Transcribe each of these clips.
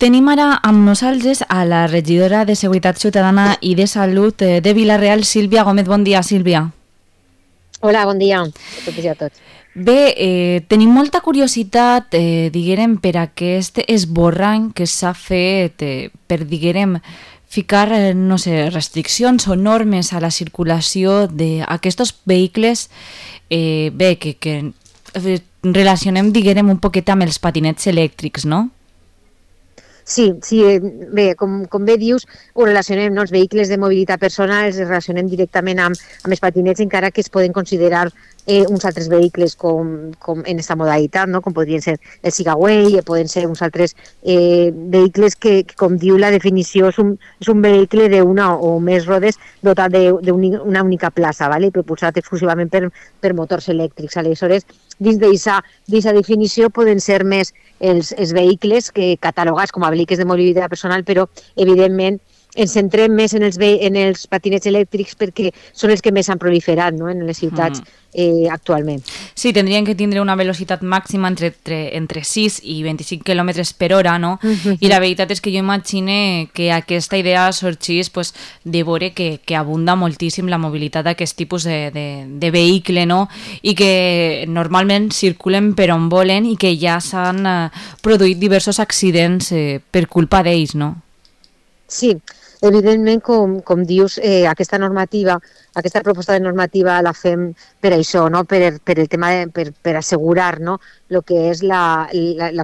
Tenim ara amb nosaltres a la regidora de Seguretat Ciutadana i de Salut de Vila-real, Sílvia Gómez. Bon dia, Sílvia. Hola, bon dia a totes i a tots. Bé, tenim molta curiositat, diguérem, per aquest esborrany que s'ha fet per, diguérem, ficar, no sé, restriccions o normes a la circulació d'aquests vehicles, bé, que relacionem, diguérem, un poquet amb els patinets elèctrics, no? Sí, bé, com bé dius, ho relacionem, no? Els vehicles de mobilitat personal els relacionem directament amb els patinets, encara que es poden considerar uns altres vehicles com en aquesta modalitat, no? Com podrien ser el Sigaway, poden ser uns altres vehicles que, com diu la definició, és un vehicle d'una o més rodes dotat d'una única plaça, ¿vale? Propulsat exclusivament per motors elèctrics. Aleshores, dins d'aquesta definició poden ser més els vehicles catalogats com a vehicles de mobilitat personal, però evidentment ens centrem més en els patinets elèctrics perquè són els que més han proliferat, no? En les ciutats actualment. Sí, tindrien que tindre una velocitat màxima entre 6 i 25 km per hora, no? I la veritat és que jo imagine que aquesta idea sorgís pues, de veure que abunda moltíssim la mobilitat d'aquest tipus de vehicle, no? I que normalment circulen per on volen i que ja s'han produït diversos accidents per culpa d'ells, no? Sí, evidentment, com dius, aquesta proposta de normativa la fem per això, no? Per el tema per assegurar, no? El que és la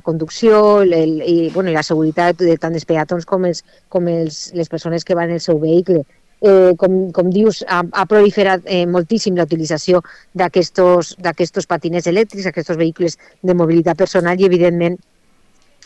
conducció i la seguretat de tant dels peatons com les persones que van en el seu vehicle. Com dius, ha proliferat moltíssim la utilització d'aquests patinets elèctrics, aquests vehicles de mobilitat personal, i evidentment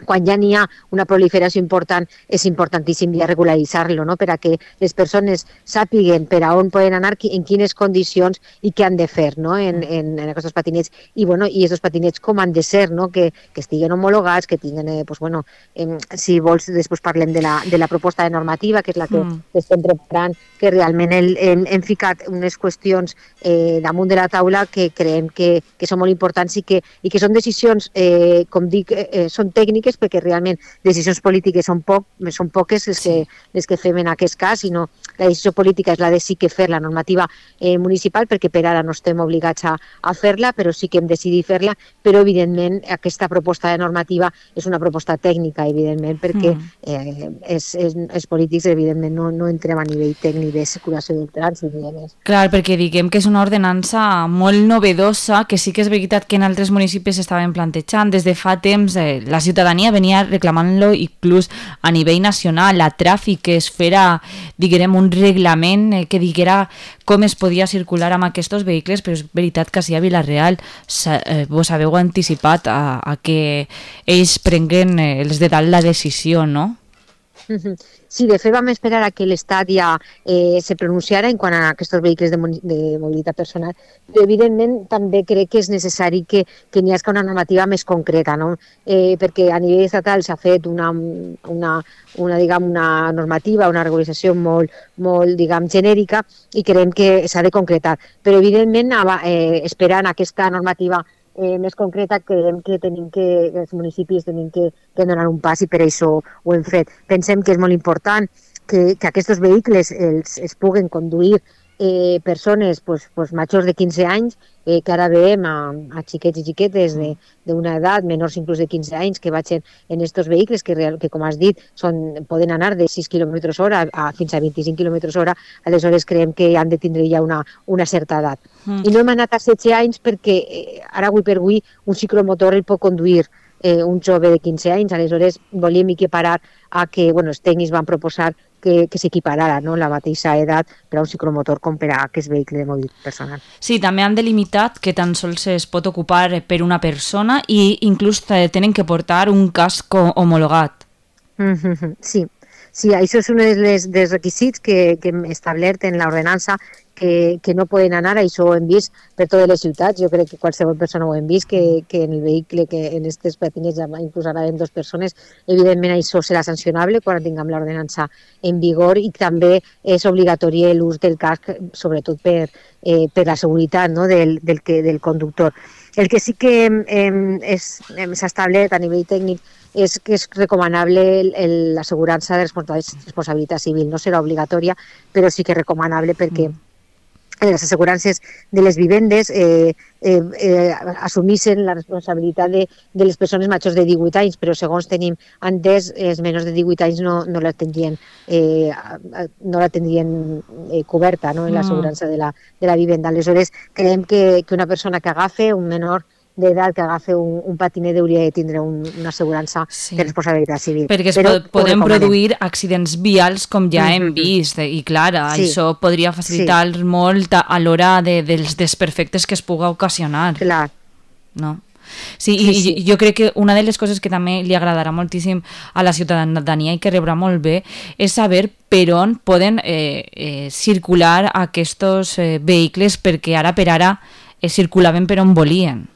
quan ja n'hi ha una proliferació important, és importantíssim ja regularitzar-lo, no? Per a que les persones sàpiguen per a on poden anar, en quines condicions i què han de fer, no? en aquests patinets. I aquests patinets com han de ser, no? Que estiguen homologats, que tinguin, si vols, després parlem de la proposta de normativa, que és la que estem preparant, que realment hem ficat unes qüestions damunt de la taula que creiem que són molt importants i que són decisions, com dic, són tècniques, perquè realment decisions polítiques són poques les que fem en aquest cas, sinó la decisió política és la de sí que fer la normativa municipal, perquè per ara no estem obligats a fer-la, però sí que hem decidit fer-la, però evidentment aquesta proposta de normativa és una proposta tècnica, evidentment, perquè els polítics evidentment no entrem a nivell tècnic de circulació del trànsit ni més. Clar, perquè diguem que és una ordenança molt novedosa, que sí que és veritat que en altres municipis s'estaven plantejant des de fa temps, la ciutadania venia reclamant-lo inclús a nivell nacional, a Tràfic, que es fera, diguem, un reglament que diguera com es podia circular amb aquests vehicles, però és veritat que si a Vila-real vos haveu anticipat a que ells prenguen els de dalt la decisió, no? Sí, de fet vam esperar a que l'Estat ja se pronunciara en quant a aquests vehicles de mobilitat personal, però evidentment també crec que és necessari que n'hi hagi una normativa més concreta, no? Perquè a nivell estatal s'ha fet una normativa, una regulació molt genèrica, i creiem que s'ha de concretar. Però evidentment, esperant aquesta normativa més concreta, creiem que els municipis tenim que donar un pas, i per això ho hem fet. Pensem que és molt important que aquests vehicles es puguen conduir persones majors de 15 anys, que ara veiem a xiquets i xiquetes d'una edat, menors inclús de 15 anys, que vagin en aquests vehicles que, com has dit, poden anar de 6 km hora fins a 25 km hora. Aleshores creiem que han de tindre ja una certa edat. I no hem anat a 16 anys perquè ara, avui per avui, un ciclomotor el pot conduir un jove de 15 anys. Aleshores volíem equiparar a que els tècnics van proposar que s'equiparara, no? La mateixa edat per a un ciclomotor com per a aquest vehicle de mobilitat personal. Sí, també han delimitat que tan sols es pot ocupar per una persona i inclús tenen que portar un casc homologat. Sí, això és un dels requisits que hem establert en l'ordenança, que no poden anar. Això ho hem vist per totes les ciutats. Jo crec que qualsevol persona ho hem vist, que en el vehicle, que en aquests patinets inclús anaven 2 persones. Evidentment això serà sancionable quan tinguem l'ordenança en vigor, i també és obligatori l'ús del casc, sobretot per la seguretat, no? del conductor. El que sí que s'ha establert a nivell tècnic és que és recomanable l'assegurança de responsabilitat civil. No serà obligatòria, però sí que és recomanable perquè les assegurances de les vivendes assumissin la responsabilitat de les persones majors de 18 anys, però segons tenim entès, els menors de 18 anys no la tindrien, coberta, no, en l'assegurança de la vivenda. Aleshores, creiem que una persona que agafa, un menor d'edat que agafa un patinet hauria de tindre una assegurança de responsabilitat civil. Perquè poden produir accidents vials com ja hem vist, i clar, això podria facilitar molt a l'hora dels desperfectes que es pugui ocasionar. Clar. No? Sí, i jo crec que una de les coses que també li agradarà moltíssim a la ciutadania i que rebrà molt bé és saber per on poden circular aquests vehicles, perquè ara per ara circulaven per on volien.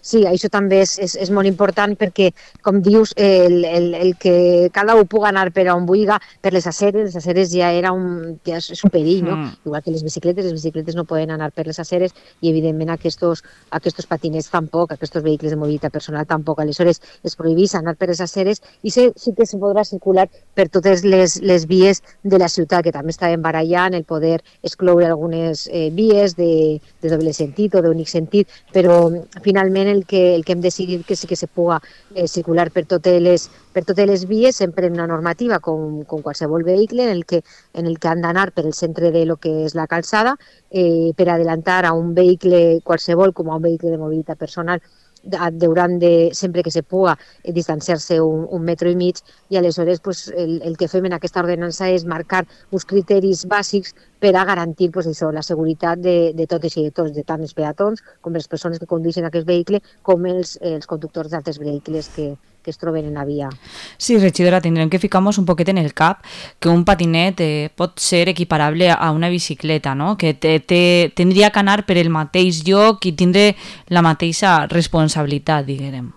Sí, això també és molt important perquè, com dius, el que cada un pugui anar per on vulgui, per les aceres ja és un perill, no? Igual que les bicicletes no poden anar per les aceres i, evidentment, aquests patinets tampoc, aquests vehicles de mobilitat personal tampoc. Aleshores, es prohibeix anar per les aceres i sí que se podrà circular per totes les vies de la ciutat, que també estaven barallant el poder excloure algunes vies de doble sentit o d'únic sentit, però finalment el que hem decidit que sí que se puga circular per totes les vies, sempre en una normativa com qualsevol vehicle, en el que han d'anar per el centre de lo que és la calçada, per adelantar a un vehicle qualsevol com a un vehicle de mobilitat personal hauran de, sempre que se puga, distanciar-se un metro i mig, i aleshores pues, el que fem en aquesta ordenança és marcar uns criteris bàsics per a garantir pues, això, la seguretat de totes i de tots, de tant els peatons com les persones que condueixen aquest vehicle, com els conductors d'altres vehicles que es troben en la via. Sí, regidora, tindrem que ficar-nos un poquet en el cap que un patinet pot ser equiparable a una bicicleta, no? Que tindria que anar per el mateix lloc i tindre la mateixa responsabilitat, diguem.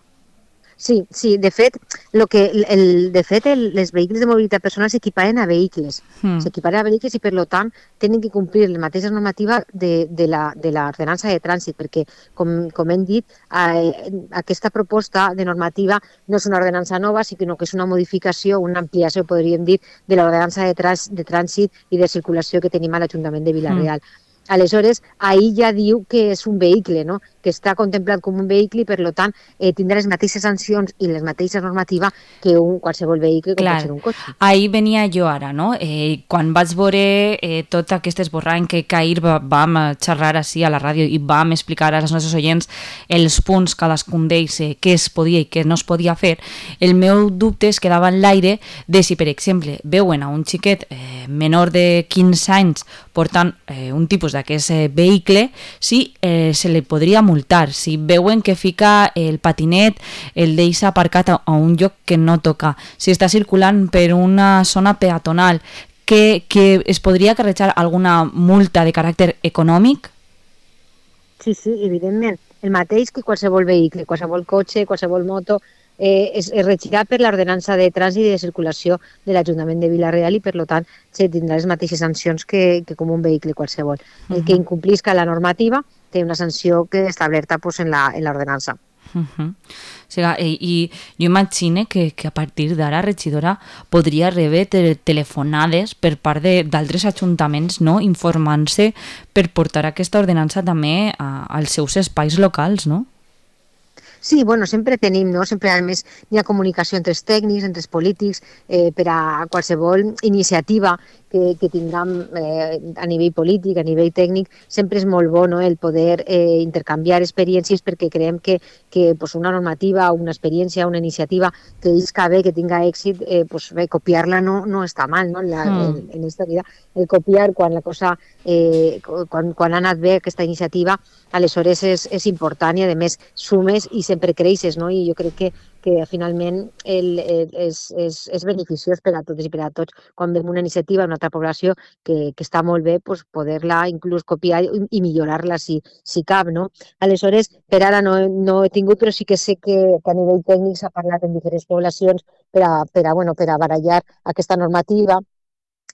Sí, de fet, les vehicles de mobilitat personal s'equiparen a vehicles. S'equiparen a vehicles i, per tant, tenen que complir la mateixa normativa de l'ordenança de trànsit, perquè, com hem dit, aquesta proposta de normativa no és una ordenança nova, sinó que és una modificació, una ampliació, podríem dir, de l'ordenança de trànsit i de circulació que tenim a l'Ajuntament de Vila-real. Aleshores, ahir ja diu que és un vehicle, no? Que està contemplat com un vehicle i, per tant, tindrà les mateixes sancions i les mateixes normatives que qualsevol vehicle, com pot ser un cotxe. Ahir venia jo ara, no? Quan vaig veure tot aquest esborrany que ahir vam xerrar així a la ràdio i vam explicar als nostres oients els punts cadascun d'ells, què es podia i què no es podia fer, el meu dubte es quedava en l'aire de si, per exemple, veuen a un xiquet menor de 15 anys portant un tipus d'aquest vehicle, si se li podria multar. Si veuen que fica el patinet, el deixa aparcat a un lloc que no toca, si està circulant per una zona peatonal, que es podria acarrejar alguna multa de caràcter econòmic? Sí, evidentment. El mateix que qualsevol vehicle, qualsevol cotxe, qualsevol moto, es regirà per l'ordenança de trànsit i de circulació de l'Ajuntament de Vila-real i, per tant, se tindrà les mateixes sancions que com un vehicle qualsevol. El que incomplisca la normativa té una sanció que està establerta pues, en l'ordenança. O sigui, i jo imagino que a partir d'ara, regidora, podria rebre telefonades per part d'altres ajuntaments, no?, informant-se per portar aquesta ordenança també als seus espais locals, no? Sí, bueno, sempre tenim, no? Sempre, a més, hi ha comunicació entre els tècnics, entre els polítics, per a qualsevol iniciativa que tinguem a nivell polític, a nivell tècnic, sempre és molt bo, no?, el poder intercanviar experiències, perquè creiem que pues, una normativa, una experiència, una iniciativa que isca bé, que tinga èxit, pues, bé, copiar-la no està mal, no?, en aquesta vida. El copiar quan la cosa, quan ha anat bé aquesta iniciativa, aleshores és important i, a més, sumes i sempre creixes, no? I jo crec que finalment és beneficiós per a totes i per a tots quan veiem una iniciativa en una altra població que està molt bé, pues, poder-la inclús copiar i millorar-la si cap, no? Aleshores, per ara no he tingut, però sí que sé que a nivell tècnic s'ha parlat en diferents poblacions per a barallar aquesta normativa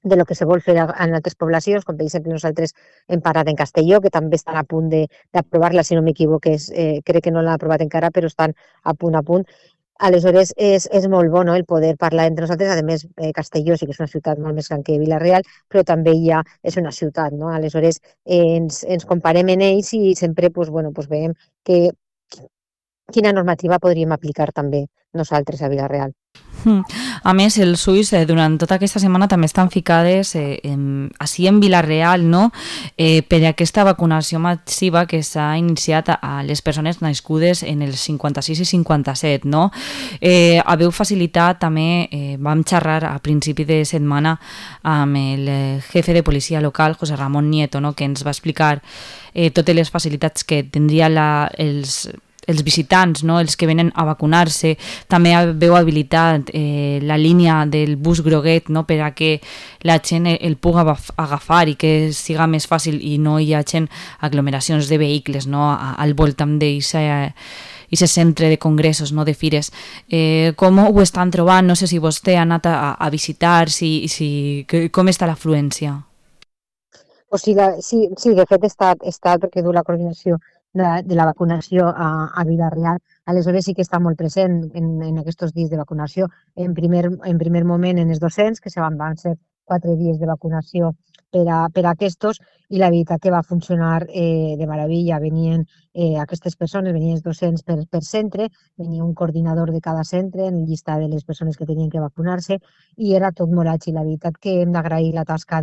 de lo que se vol fer en altres poblacions, com per exemple nosaltres hem parlat en Castelló, que també estan a punt d'aprovar-la, si no m'equivoco, crec que no l'han aprovat encara, però estan a punt. Aleshores, és molt bo, no?, el poder parlar entre nosaltres. A més, Castelló sí que és una ciutat molt més gran que Vila-real, però també ja és una ciutat, no? Aleshores, ens comparem en ells i sempre pues, bueno, pues veiem que, quina normativa podríem aplicar també nosaltres a Vila-real. A més, els ulls durant tota aquesta setmana també estan ficades així en Vila-real, no? Per aquesta vacunació massiva que s'ha iniciat a les persones nascudes en els 56 i 57, no? Haveu facilitat també, vam xerrar a principi de setmana amb el jefe de policia local, José Ramón Nieto, no?, que ens va explicar totes les facilitats que tindria els visitants, no?, els que venen a vacunar-se. També veu habilitat la línia del bus groguet, no?, per a que la gent el pugui agafar i que siga més fàcil i no hi hagi aglomeracions de vehicles, no?, al voltant d'aquest centre de congressos, no?, de fires. Com ho estan trobant? No sé si vostè ha anat a visitar, com està l'afluència? O sigui, sí, de fet està perquè du la coordinació de la vacunació a Vila-real. Aleshores sí que està molt present en aquests dies de vacunació. En primer moment en els docents, que van ser 4 dies de vacunació per a aquests, i la veritat que va funcionar de meravella. Venien aquestes persones, venien els docents per centre, venia un coordinador de cada centre en el llistat de les persones que tenien que vacunar-se, i era tot molt àgil. La veritat que hem d'agrair la tasca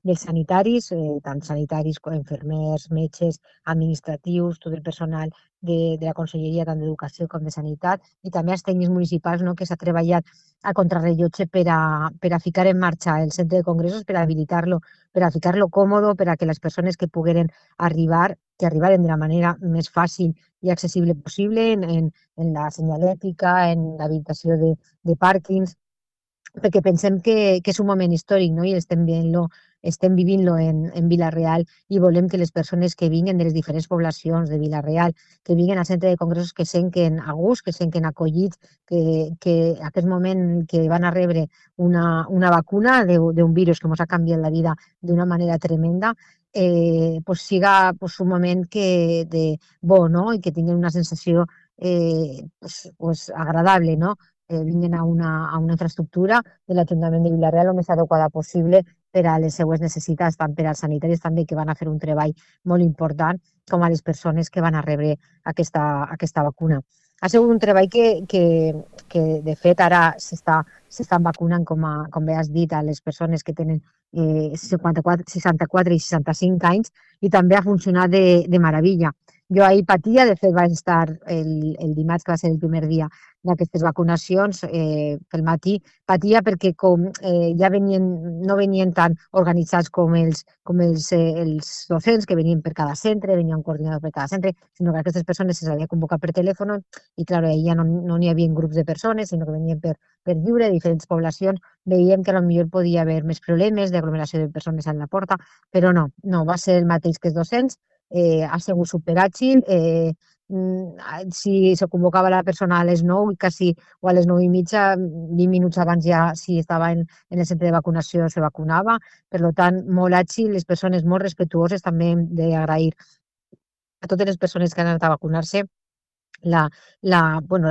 dels sanitaris, tant sanitaris com infermers, metges, administratius, tot el personal de la Conselleria tant d'Educació com de Sanitat, i també els tècnics municipals, no?, que s'ha treballat a contrarrellotge per a ficar en marxa el centre de congressos, per a habilitar-lo, per a ficar-lo còmode, per a que les persones que pogueren arribar, que arribaren de la manera més fàcil i accessible possible en la senyalètica, en l'habilitació de pàrquings, perquè pensem que és un moment històric, no?, i estem vivint-lo en Vila-real, i volem que les persones que vinguen de les diferents poblacions de Vila-real, que vinguen al centre de congressos, que senten a gust, que senten acollits, que aquest moment que van a rebre una vacuna d'un virus que ens ha canviat la vida d'una manera tremenda, pues siga pues un moment bo, no?, i que tinguin una sensació pues agradable, no?, vinguin a una infraestructura de l'Ajuntament de Vila-real el més adequada possible per a les seues necessitats, tant per als sanitaris també, que van a fer un treball molt important, com a les persones que van a rebre aquesta vacuna. Ha sigut un treball que de fet ara s'estan vacunant, com bé has dit, a les persones que tenen 64 i 65 anys, i també ha funcionat de meravella. Jo ahir patia, de fet vaig estar el dimarts, que va ser el primer dia d'aquestes vacunacions, pel matí, patia perquè com ja no venien tan organitzats com els docents, que venien per cada centre, venia un coordinador per cada centre, sinó que aquestes persones se les havia convocat per telèfon, i clar, ja no n'hi havia grups de persones, sinó que venien per lliure, de diferents poblacions. Veiem que potser podia haver més problemes d'aglomeració de persones a la porta, però no, va ser el mateix que els docents. Ha sigut superàgil. Si se convocava la persona a les 9, quasi, o a les 9:30, 20 minuts abans ja, si estava en el centre de vacunació, se vacunava. Per tant, molt àgil, les persones molt respetuoses. També hem d'agrair a totes les persones que han anat a vacunar-se la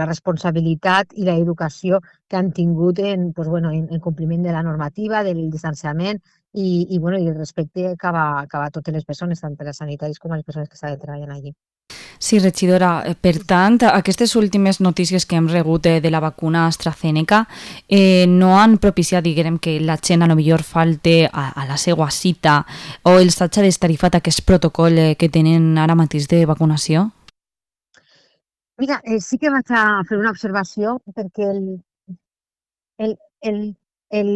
responsabilitat i l'educació que han tingut en compliment de la normativa, del distanciament i el respecte cap a totes les persones, tant per als sanitaris com a les persones que estaven treballant allí. Sí, regidora. Per tant, aquestes últimes notícies que hem rebut de la vacuna AstraZeneca no han propiciat, diguem, que la gent a lo millor falte a la seva cita, o els hagi destarifat aquest protocol que tenen ara mateix de vacunació? Mira, sí que vaig a fer una observació, perquè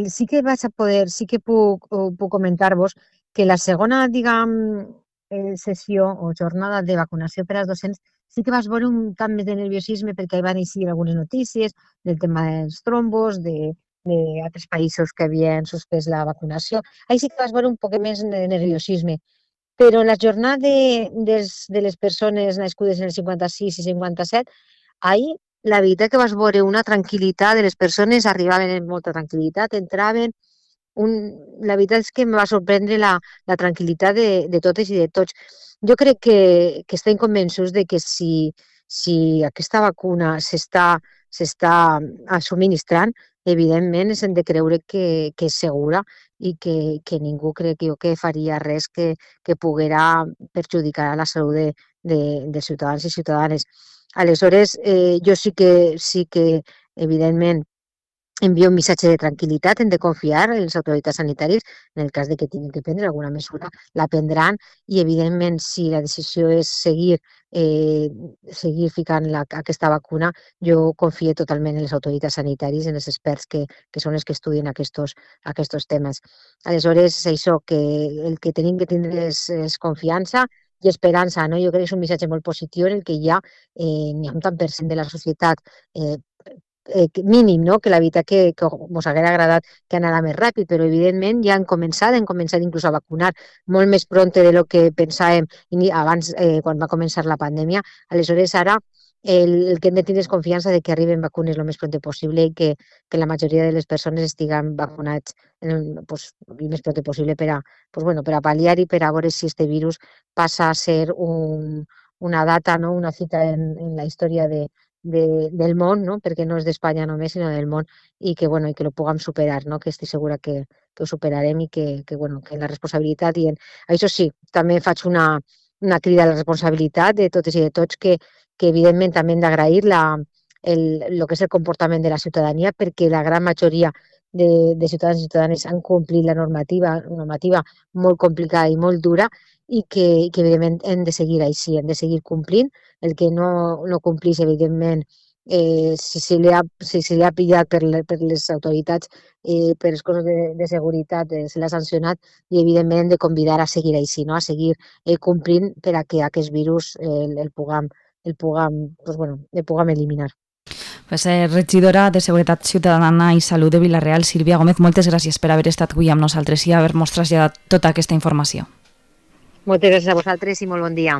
sí que vaig a poder, sí que puc comentar-vos que la segona, diguem, sessió o jornada de vacunació per als docents sí que vas veure un tant més de nerviosisme, perquè van eixir algunes notícies del tema dels trombos, d'altres països que havien suspès la vacunació. Ahí sí que vas veure un poc més de nerviosisme. Però en la jornada de les persones nascudes en el 56 i 57, ahir la veritat que vas veure una tranquil·litat de les persones, arribaven amb molta tranquil·litat, entraven, la veritat és que em va sorprendre la tranquil·litat de totes i de tots. Jo crec que estem convençuts de que si aquesta vacuna s'està subministrant, evidentment ens hem de creure que és segura i que ningú crec jo que faria res que poguera perjudicar la salut de ciutadans i ciutadanes. Aleshores, jo sí que evidentment, envia un missatge de tranquil·litat, hem de confiar en les autoritats sanitàries, en el cas de que tinguin que prendre alguna mesura, la prendran i, evidentment, si la decisió és seguir ficant aquesta vacuna, jo confio totalment en les autoritats sanitàries, en els experts que són els que estudien aquests temes. Aleshores, és això, que el que tenim que tindre és confiança i esperança, no? Jo crec que és un missatge molt positiu en el que ja n'hi ha un tant per cent de la societat mínim, no? Que la veritat que ens hauria agradat que anara més ràpid, però evidentment ja han començat inclús a vacunar molt més pront de lo que pensàvem abans, quan va començar la pandèmia. Aleshores, ara el que hem de tenir és confiança de que arriben vacunes el més pront possible i que la majoria de les persones estiguen vacunats el més pront possible per a pal·liar i per a veure si este virus passa a ser una data, no? Una cita en la història del món, no? Perquè no és d'Espanya només, sinó del món, i que lo puguem superar, no? Que estic segura que ho superarem i que la responsabilitat això sí, també faig una crida a la responsabilitat de totes i de tots que evidentment també hem d'agrair el que és el comportament de la ciutadania, perquè la gran majoria de ciutadans i ciutadanes han complit la normativa molt complicada i molt dura i que evidentment hem de seguir així, hem de seguir complint. El que no complís, evidentment, si se li ha pillat per les autoritats, per les coses de seguretat, se l'ha sancionat i, evidentment, hem de convidar a seguir així, no? A seguir complint per a que aquest virus el puguem eliminar. Pues, regidora de Seguretat Ciutadana i Salut de Vila-real, Sílvia Gómez, moltes gràcies per haver estat avui amb nosaltres i haver-nos traslladat tota aquesta informació. Moltes gràcies a vosaltres i molt bon dia.